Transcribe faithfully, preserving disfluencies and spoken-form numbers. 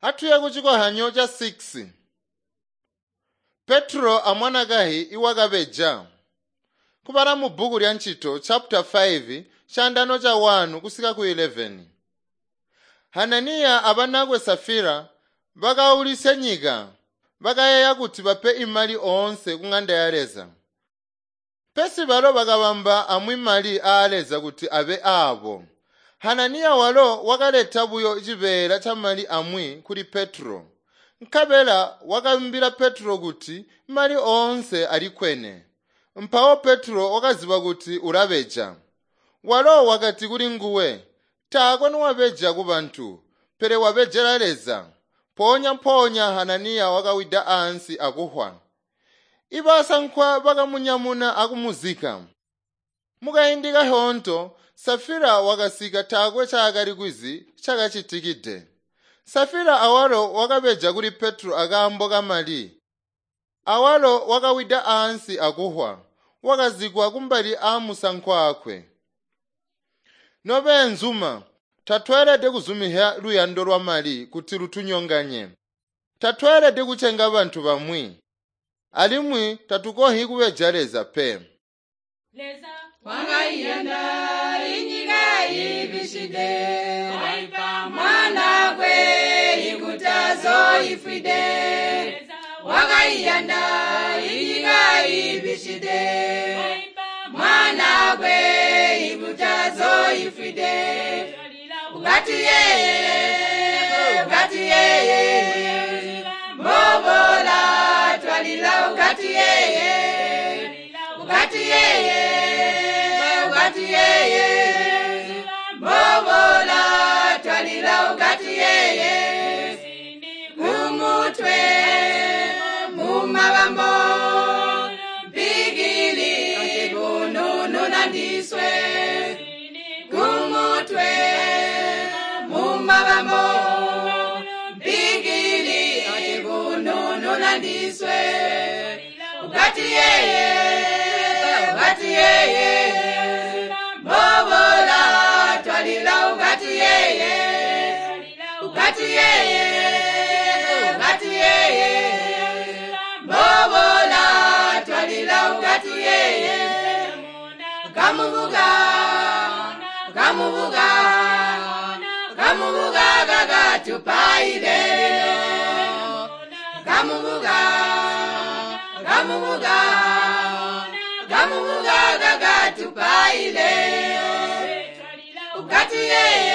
Atuye ku cikohanyo ca six. Petro amwanakahi iwakabeja. Kubala mu bbuku lya Ncito chapter five chandano cha one kusika ku eleven. Hananiya abanakwe Safira bakaulisya nyika, bakayeeya kuti bape imali oonse ku ng'anda ya Leza. Pesi balo bakabamba amwi mali aa Leza kuti abe aabo. Hananiya walo wakaleta buyo cibeela ca mali amwi kuli Petro. Nkabela wakaambila Petro kuti mali oonse alikwene. Mpawo Petro wakaziba kuti ulabeja. Walo wakati kuli nguwe, taakwe nuwabeja kubantu, pele wabejela Leza. Mpoonya mpoonya Hananiya wakawida ansi akuhwa. Ibasankwa bakamunyamuna akumuzika. Mukaindi kahonto Safira wakasika taakwe caakali kwizi cakacitikide. Safira awalo wakabeja kuli Petro akaambo kamali. Awalo wakawida ansi akuhwa, wakazikwa kumbali aamusankwa akwe. Nobeenzuma, tatweelede kuzumihya luyando lwa mali kuti lutunyonganye. Tatweelede kucenga bantu bamwi. Alimwi tatukohi kubeja Leza pe. Leza Wakaiyanda inyika ibishide waipa mwanakwe ikutazo ifwide Leza Wakaiyanda inyika ibishide waipa mwanakwe ikutazo ifwide Twalila Ukati yeye ukati yeye mbobola twalila ukati yeye ukati yeye ukati yeye mbobola twalila ukati yeye kumutwe mumabambo mpigili bununu nandiswe kumutwe mumabambo mpigili bununu nandiswe ukati yeye ukati yeye mbobola twalila ukati yeye ukati yeye ukati yeye mbobola twalila ukati yeye kamubuga kamubuga kamubuga kakatupaile kamubuga kamubuga kamubuga kakatupaile ukati yeye.